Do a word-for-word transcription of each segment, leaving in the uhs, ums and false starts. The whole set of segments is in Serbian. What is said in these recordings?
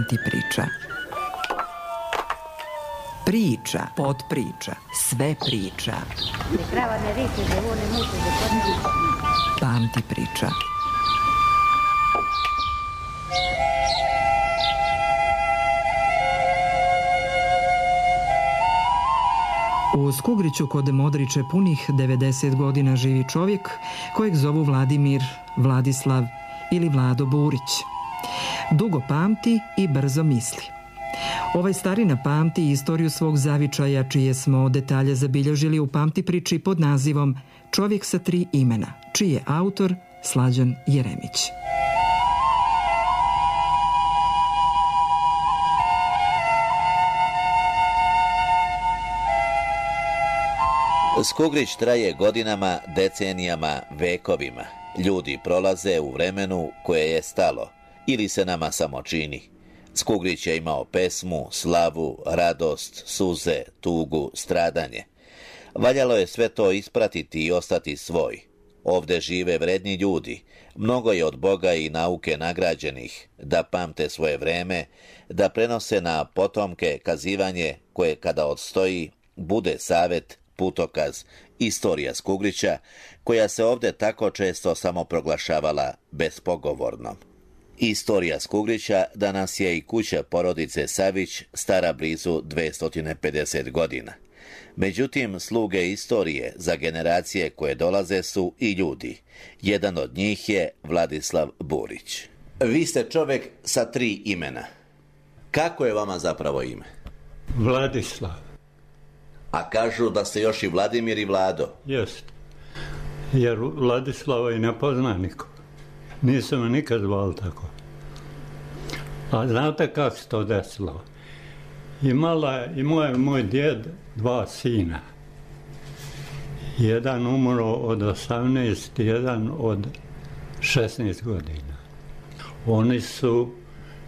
Pamti priča. Priča, podpriča, sve priča. Pamti priča. U Skugriću kod Modriče punih devedeset godina živi čovjek kojeg zovu Vladimir, Vladislav ili Vlado Burić. Dugo pamti i brzo misli. Ovaj starina pamti istoriju svog zavičaja, čije smo detalje zabilježili u Pamti priči pod nazivom Čovjek sa tri imena, čiji je autor Slađan Jeremić. Skugrić traje godinama, decenijama, vekovima. Ljudi prolaze u vremenu koje je stalo ili se nama samo čini. Skugrić je imao pesmu, slavu, radost, suze, tugu, stradanje. Valjalo je sve to ispratiti i ostati svoj. Ovde žive vredni ljudi, mnogo je od Boga i nauke nagrađenih, da pamte svoje vreme, da prenose na potomke kazivanje koje kada odstoji, bude savet, putokaz, istorija Skugrića, koja se ovde tako često samo proglašavala bespogovornom. Istorija Skugrića danas je i kuća porodice Savić, stara blizu dvesta pedeset godina. Međutim, sluge istorije za generacije koje dolaze su i ljudi. Jedan od njih je Vladislav Burić. Vi ste čovjek sa tri imena. Kako je vama zapravo ime? Vladislav. A kažu da ste još i Vladimir i Vlado. Jest. Jer Vladislava i ne pozna niko. Nisam me nikad zvali tako. A znate kako se to desilo? Imala, imao je moj djed dva sina. Jedan umro od osamnaest, jedan od šesnaest godina. Oni su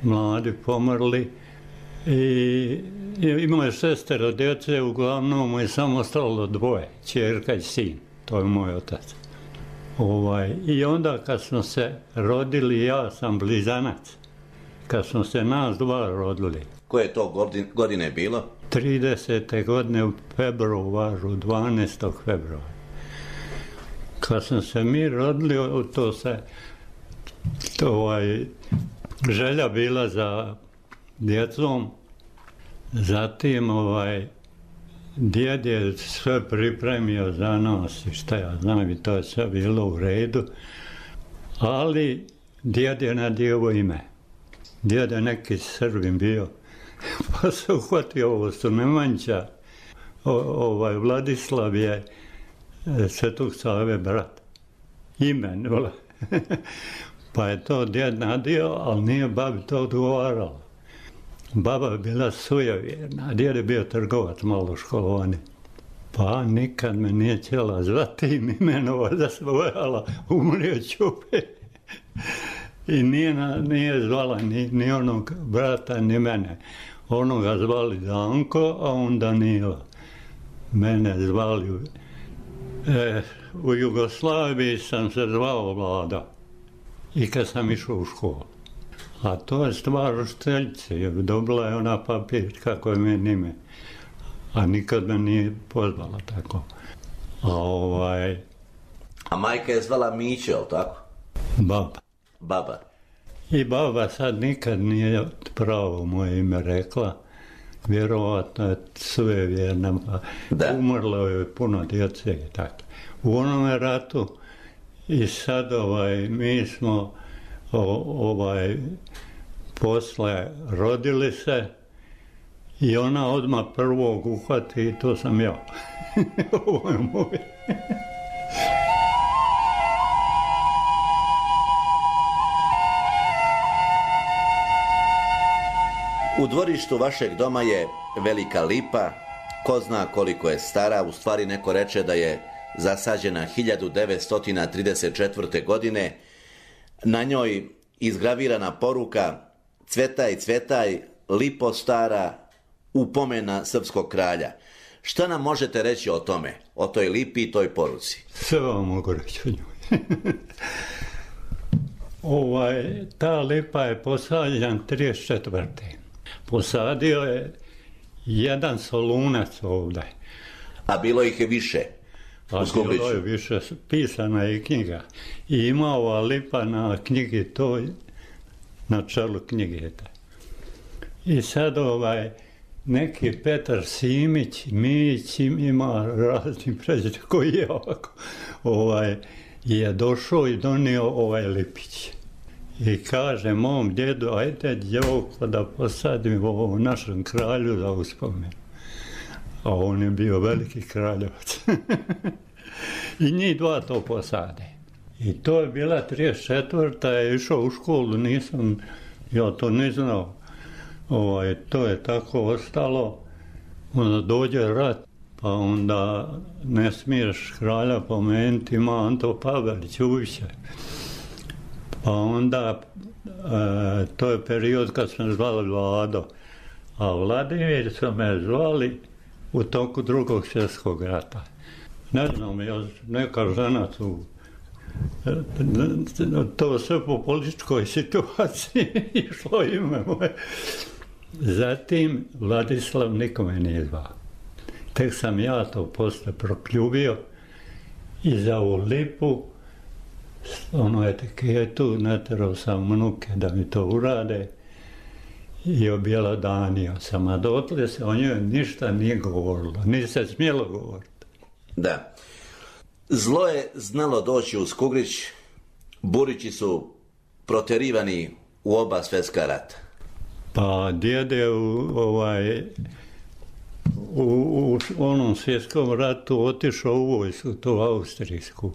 mladi pomrli i imao je šestero djece, uglavnom mu je samo ostalo dvoje, ćerka i sin. To je moj otac. Ovaj, I onda kad smo se rodili, ja sam blizanac. Kad smo se nas dva rodili. Koje to godine bilo? tridesete godine u februaru, dvanaestog februara. Kad smo se mi rodili, to se to, ovaj, želja bila za djecom. Zatim ovaj, djed je sve pripremio za nas i šta ja znam, i to je sve bilo u redu. Ali djed je nadjevo ime. Djed je neki Srbin bio. Pa se uhvatio, ovo su Nemanjića. Ovaj Vladislav je Svetog Save brat. Imen. Pa je to djed nadio, ali nije babi to odgovaralo. Baba je bila sujevjerna, a djed je bio trgovac malo školovani. Pa nikad me nije htjela zvati imenova da se bojala, umrio Ćupe. I nije, nije zvala ni, ni onog brata, ni mene. Onoga zvali Danko, a on Danilo. Mene zvali... E, u Jugoslaviji sam se zvao Vlada. I kad sam išao u školu. A to je stvar učiteljice, jer dobila je ona papir kako je meni ime. A nikad me nije pozvala tako. A ovaj... A majka je zvala Miće, ali tako? Baba. Baba. I baba sad nikad nije pravo moje ime rekla. Vjerovatno je sve vjerna. Umrlo je puno djece i tako. U onome ratu i sad ovaj, mi smo o, ovaj, posle rodili se i ona odmah prvog uhvati i to sam ja. Ovo je moj. U dvorištu vašeg doma je velika lipa, ko zna koliko je stara, u stvari neko reče da je zasađena hiljadu devetsto trideset četvrte. godine. Na njoj izgravirana poruka "Cvetaj, cvetaj, lipo stara, upomena srpskog kralja". Šta nam možete reći o tome, o toj lipi i toj poruci? Sve vam mogu reći o njoj. Ovaj, ta lipa je posađena trideset četvrte Posadio je jedan solunac ovdje. A bilo ih je više u Skugriću? A bilo je više, pisana je knjiga. I ima ova lipa na knjigi toj, na čelu knjige. I sad ovaj, neki Petar Simić, Mić ima razni pređe koji je ovako, ovaj, je došao i donio ovaj lipić. I kaže mom djedu, ajde djevoko da posadim ovo našem kralju za uspomenu. A on je bio veliki kraljevac. I njih dva to posade. I to je bila trideset četvrta je išao u školu, nisam, ja to ne znao. Ovaj, to je tako ostalo. Onda dođe rat, pa onda ne smiješ kralja pomenuti, ima Anto Pavelić, uviće. Pa onda, e, to je period kad smo zvali Vlado, a Vladimir su me zvali u toku drugog svjetskog rata. Ne znam, ja, neka žena tu, to sve po političkoj situaciji išlo ime moje. Zatim Vladislav nikome nije zvao. Tek sam ja to posle prokljubio i za ovu lipu ono etiketu naterao sam unuke da mi to urade i objelodanio sam, a dotle se o njoj ništa nije govorilo, nije se smjelo govoriti. Da. Zlo je znalo doći u Skugrić, Burići su proterivani u oba svjetska rata. Pa djede u, ovaj, u, u onom svjetskom ratu otišao u vojsku, to austrijsku.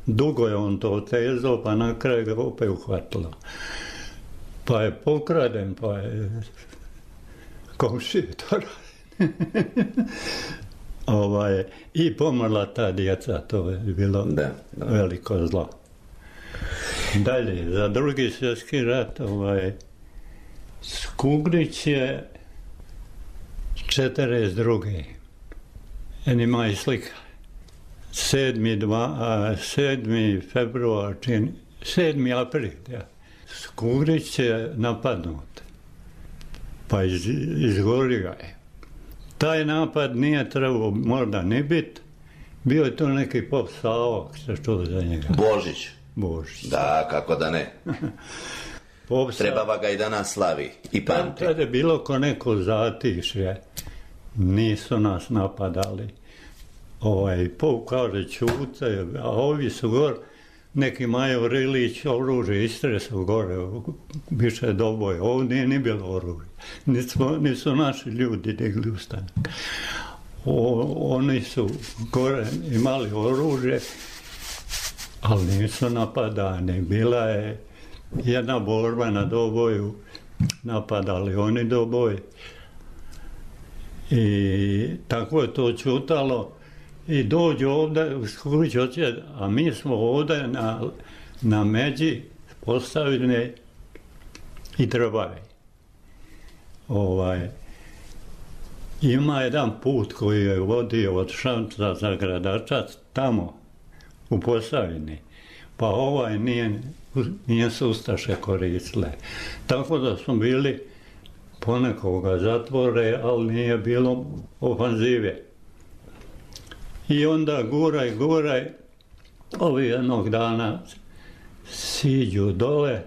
Dugo je on to otezao, pa na kraju ga opet uhvatilo. Pa je pokraden, pa je komšije to radi. ovaj, I pomrla ta djeca, to je bilo da, da. veliko zlo. Dalje, za drugi svjetski rat, ovaj, Skugrić je četrdeset druge En ima i slika. sedmi februar, sedmi april, ja. Skugrić je napadnut, pa iz, izgorio je. Taj napad nije trebao možda ni biti, bio je to neki pop Savo, se čuo za njega. Božić. Božić. Da, kako da ne. Trebava ga i danas slavi i pamti. Tad je bilo ko neko zatišje, nisu nas napadali. Ovaj, Pop kaže čuce, a ovi su gor, neki Majo Rilić, oružje Istre su gore, više doboje, ovdje nije ni bilo oružje, nisu, nisu naši ljudi digli ustanak. O, oni su gore imali oružje, ali nisu napadani, bila je jedna borba na doboju, napadali oni doboj i tako je to čutalo. I dođu ovdje u Skugrić, a mi smo ovdje na, na međi postavljene i trebave. Ovaj, ima jedan put koji je vodio od Šamca za Gradačac tamo u Posavini, pa ovaj nije, nije su ustaše koristile. Tako da smo bili ponekoga zatvore, ali nije bilo ofanzive. I onda guraj, guraj, ovi jednog dana siđu dole,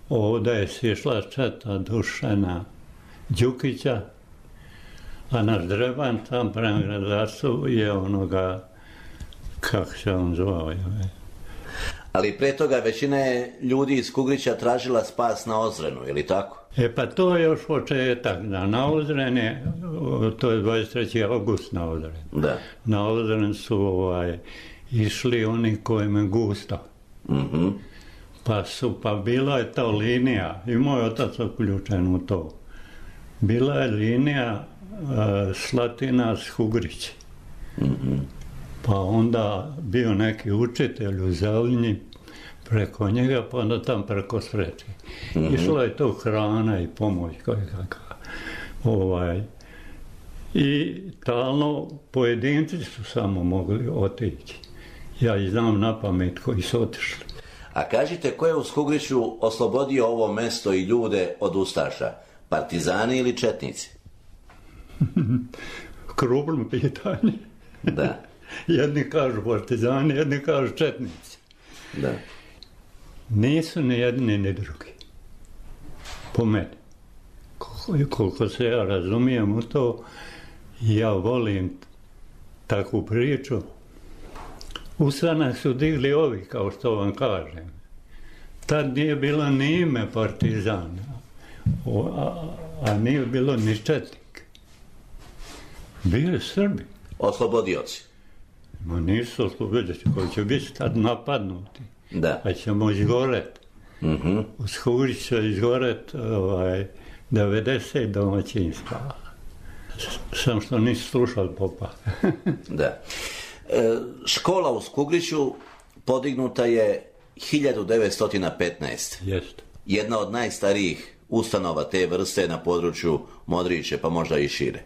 ovdje je sišla četa Dušana Đukića, a naš Dreban tam prema Gradačcu je onoga, kako se on zvao. Ali pre toga većina je ljudi iz Skugrića tražila spas na Ozrenu, je li tako? E pa to je još početak, da na Ozrene, to je dvadeset treći august na Ozren. Da. Na Ozren su ovaj, išli oni kojima je gusto. Mm-hmm. Pa su, pa bila je ta linija, i moj otac uključen u to. Bila je linija uh, Slatina Skugrić. Mm-hmm. Pa onda bio neki učitelj u Zelinji, preko njega, pa onda tam preko Sreće. Mm-hmm. Išla je to hrana i pomoć kakva. Ovaj. I talno pojedinci su samo mogli otići. Ja i znam na pamet koji su otišli. A kažite, ko je u Skugriću oslobodio ovo mesto i ljude od ustaša? Partizani ili četnici? Krupno pitanje. Da. Jedni kažu partizani, jedni kažu četnici. Da. Nisu ni jedni ni drugi. Po meni. Koliko se ja razumijem u to, ja volim takvu priču. Ustanak su digli ovi, kao što vam kažem. Tad nije bilo ni ime partizana, a, a nije bilo ni četnik. Bili Srbi. Oslobodioci. Ma nisu oslobodioci, koji će biti tad napadnuti. Da. Pa ćemo izgoreti. Mm-hmm. U Skugrić će izgoreti ovaj, devedeset domaćinstva. Sam što nisi slušao popa. Da. E, škola u Skugriću podignuta je hiljadu devetsto petnaeste. Jeste. Jedna od najstarijih ustanova te vrste na području Modriće, pa možda i šire.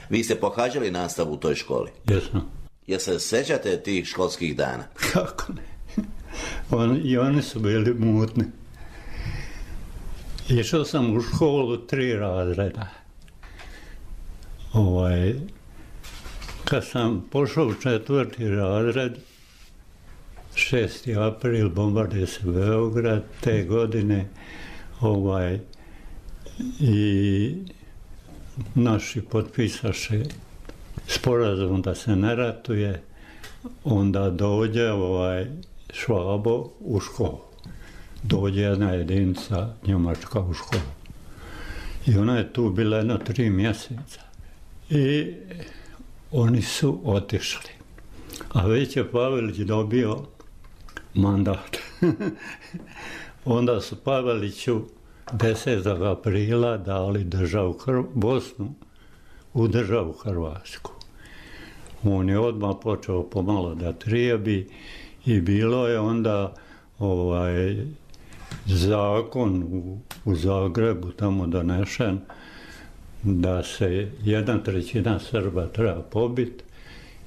Vi ste pohađali nastavu u toj školi? Jesam. Jel se sećate tih školskih dana? Kako ne? On, I oni su bili mutni. Išao sam u školu tri razreda. Ovaj, kad sam pošao u četvrti razred, šesti april, bombarduje se Beograd te godine, ovaj, i naši potpisaše sporazum da se ne ratuje, onda dođe ovaj Švabo u školu. Dođe jedna jedinica njemačka u školu. I ona je tu bila jedno tri mjeseca. I oni su otišli. A već je Pavelić dobio mandat. Onda su Paveliću desetog aprila dali državu Hr- Bosnu u državu Hrvatsku. On je odmah počeo pomalo da trijebi i bilo je onda ovaj zakon u, u Zagrebu tamo donešen da se jedna trećina Srba treba pobiti,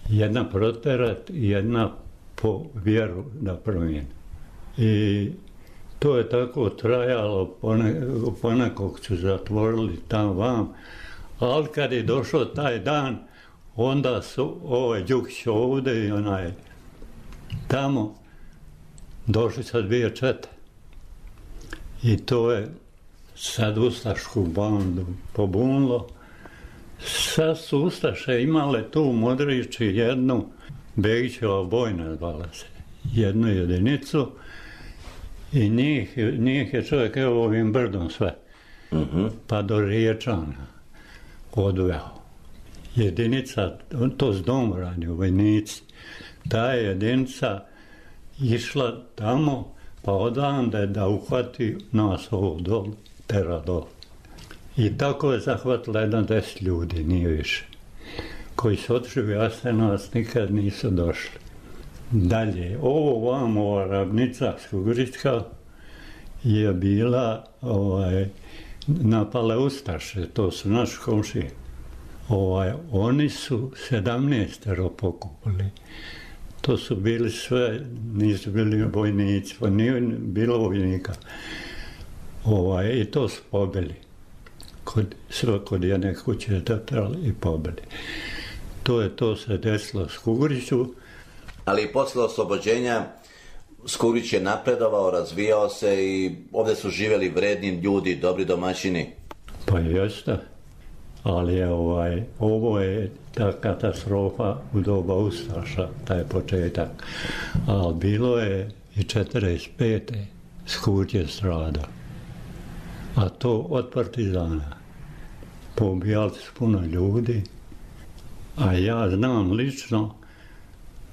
jedna proterat i jedna po vjeru da promijeni. I to je tako trajalo, pone, ponekog su zatvorili tam vam, ali kad je došao taj dan, onda su ovaj Đukić ovdje i onaj tamo došli sa dvije čete. I to je sad ustašku bandu pobunilo. Sad su ustaše imale tu u Modrići jednu, Begićeva bojna zvala se, jednu jedinicu i njih, njih je čovjek evo ovim brdom sve, uh-huh. pa do Riječana odveo. Jedinica, to s domorani u vojnici, ta je jedinica išla tamo, pa odande da uhvati nas ovo dol, tera dol. I tako je zahvatila jedan deset ljudi, nije više, koji su otišli u Jasenovac, nikad nisu došli. Dalje, ovo vam, ova ravnica Skugrićka je bila, ovaj, napale ustaše, to su naši komšije. Ovaj, oni su sedamnaestero pokupili. To su bili sve, nisu bili vojnici, pa nije bilo vojnika. Ovaj, i to su pobili. Kod, sve kod jedne kuće dotrali i pobili. To je to se desilo u Skugriću. Ali posle oslobođenja Skugrić je napredovao, razvijao se i ovdje su živjeli vredni ljudi, dobri domaćini. Pa jeste, ali je ovaj, ovo je ta katastrofa u doba ustaša, taj početak. Ali bilo je i četrdeset pete Skugrić je strada. A to od partizana. Pobijali su puno ljudi, a ja znam lično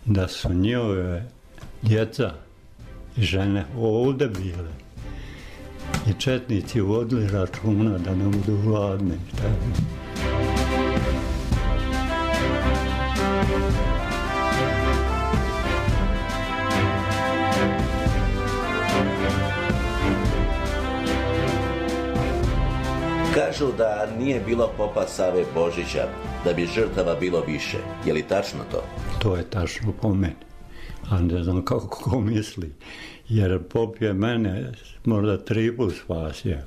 da su njihove djeca i žene ovdje bile. I četnici vodili računa da ne budu gladni. Kažu da nije bilo popa Save Božića, da bi žrtava bilo više. Je li tačno to? To je tačno po meni. a ne znam kako ko misli, jer pop je mene možda tri put spasio.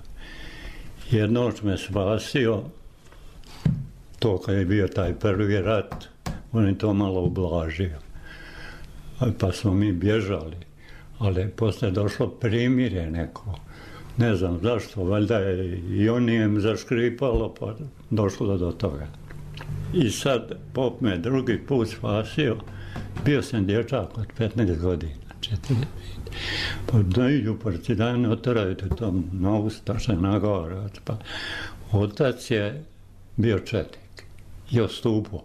Jednoć me spasio, to kad je bio taj prvi rat, on je to malo ublažio. Pa smo mi bježali, ali posle došlo primirje neko. Ne znam zašto, valjda je i on je zaškripalo, pa došlo do toga. I sad pop me drugi put spasio, bio sam dječak od petnaest godina, četrnaest. Pa da idu partizani, oteraju te tam na ustaše, na gore. Pa otac je bio četnik i ostupao.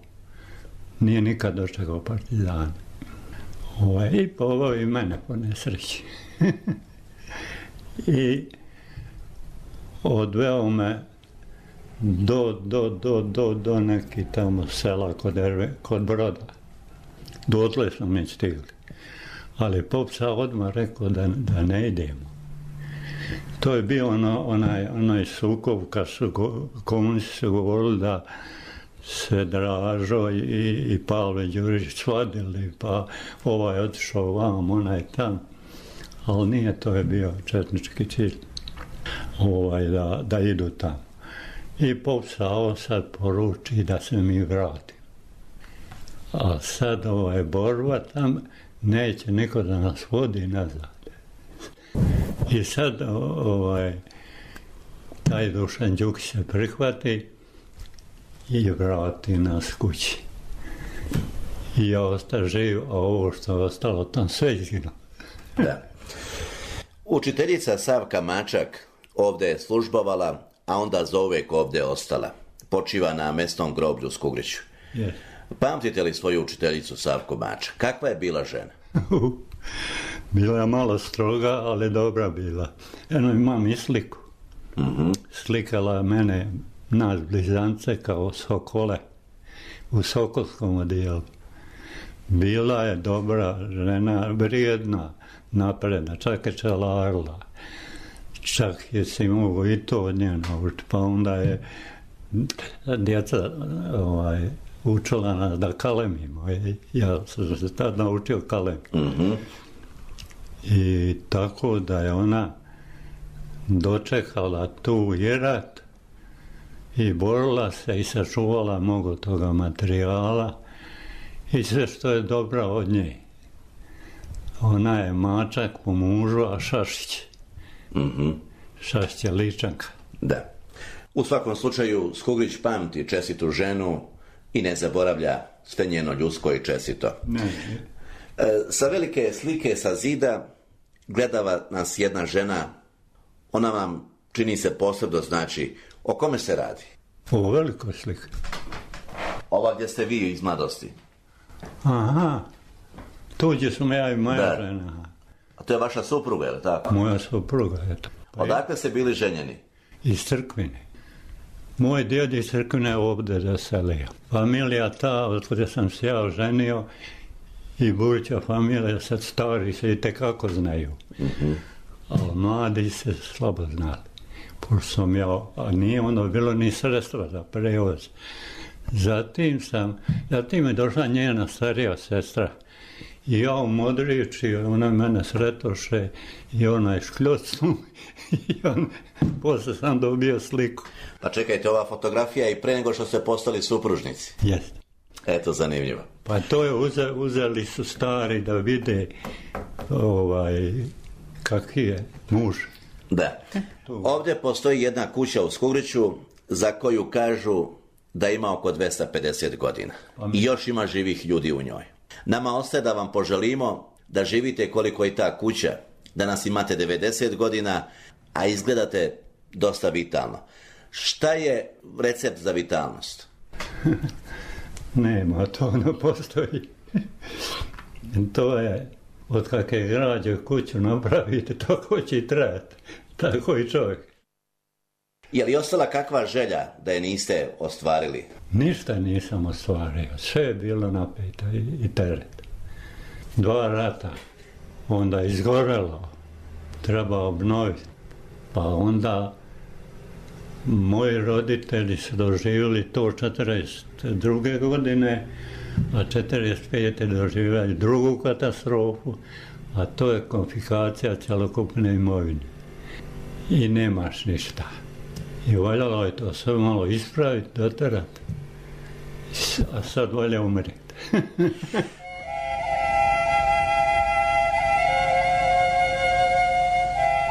Nije nikad dočekao partizana. Ovaj, i povao i mene po nesreći. I odveo me do, do, do, do, do neki tamo sela kod, Erve, kod Broda. Dotle smo mi stigli. Ali pop sam odmah rekao da, da ne idemo. To je bio ono, onaj, onaj sukob kad su go, komunisti su govorili da se Dražo i, i Pavle Đurić svadili, pa ovaj otišao vam, onaj tam. Ali nije, to je bio četnički cilj, ovaj, da, da idu tamo. I pop Savo sad poruči da se mi vratim. A sad ovaj borba tam, neće niko da nas vodi nazad. I sad ovaj, taj Dušan Đukić se prihvati i vrati nas kući. I ja osta živ, a ovo što je ostalo tam sve izgino. Da. Učiteljica Savka Mačak ovdje je službovala, a onda zauvijek ovdje ostala. Počiva na mesnom groblju u Skugriću. Yes. Pamtite li svoju učiteljicu Savku Mačak? Kakva je bila žena? Bila je malo stroga, ali dobra bila. Eno, imam i sliku. Mm-hmm. Slikala mene, nas blizance, kao sokole u Sokolskom odijelu. Bila je dobra žena, vrijedna, napredna, čak je čelarla. Čak je si mogo i to od nje naučiti. Pa onda je djeca ovaj, učila nas da kalemimo. Ja sam se tad naučio kalemiti. Mm-hmm. I tako da je ona dočekala tu i rat i borila se i sačuvala mnogo toga materijala i sve što je dobra od nje. Ona je Mačak po mužu, a Šašić. Mm-hmm. Šašić je Ličanka. Da. U svakom slučaju, Skugrić pamti čestitu ženu i ne zaboravlja sve njeno ljudsko i čestito. Ne. E, sa velike slike sa zida gledava nas jedna žena. Ona vam čini se posebno, znači, o kome se radi? O velikoj slike. Ova gdje ste vi iz mladosti. Aha, tuđe su ja i moja da. žena. A to je vaša supruga, je li tako? Moja supruga, eto. Pa odakle ste bili ženjeni? Iz Crkvine. Moj djed iz Crkvine ovdje zaselio. Familija ta, od kada sam se ja oženio, i buduća familija, sad stari se i tekako znaju. Mm-hmm. Ali mladi se slabo znali. Pošto sam ja, a nije ono bilo ni sredstva za prevoz. Zatim sam, zatim je došla njena starija sestra. I ja u Modrići, ona mene sretoše i ona je škljocnu i on, posle sam dobio sliku. Pa čekajte, ova fotografija i pre nego što ste postali supružnici. Jeste. Eto, zanimljivo. Pa to je uze, uzeli su stari da vide ovaj, kakvi je muž. Da. Ovdje postoji jedna kuća u Skugriću za koju kažu da ima oko dvesta pedeset godina. I još ima živih ljudi u njoj. Nama ostaje da vam poželimo da živite koliko je ta kuća, da nas imate devedeset godina, a izgledate dosta vitalno. Šta je recept za vitalnost? Nema, to ne postoji. To je, od kakve građe kuću napravite, tako će i trajati. Tako i čovjek. Je li ostala kakva želja da je niste ostvarili? Ništa nisam ostvario. Sve je bilo napeto i, i teret. Dva rata. Onda izgorelo. Treba obnoviti. Pa onda moji roditelji su doživjeli to četrdeset druge godine, a četrdeset pete doživjeli drugu katastrofu, a to je konfiskacija cjelokupne imovine. I nemaš ništa. I valjalo je to sve malo ispraviti, doterati. A sad valja umreti.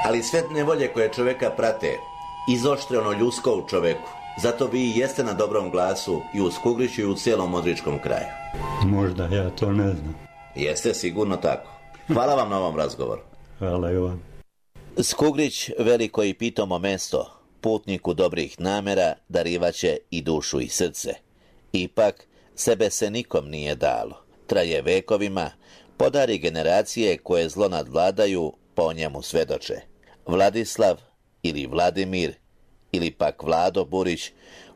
Ali sve nevolje koje čoveka prate, izoštre ono ljudsko u čoveku. Zato vi jeste na dobrom glasu i u Skugriću i u cijelom Modričkom kraju. Možda, ja to ne znam. Jeste sigurno tako. Hvala vam na ovom razgovoru. Hvala i vam. Skugrić, veliko i pitomo mesto, putniku dobrih namera darivaće i dušu i srce. Ipak, sebe se nikom nije dalo. Traje vekovima, podari generacije koje zlo nadvladaju, po njemu svedoče. Vladislav ili Vladimir ili pak Vlado Burić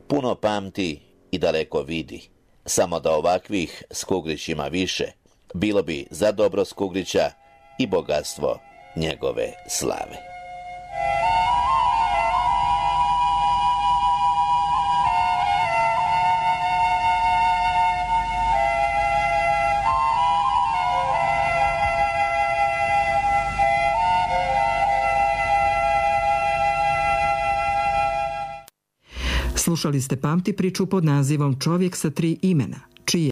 puno pamti i daleko vidi. Samo da ovakvih Skugrić ima više, bilo bi za dobro Skugrića i bogatstvo njegove slave. Slušali ste Pamti priču pod nazivom Čovjek sa tri imena.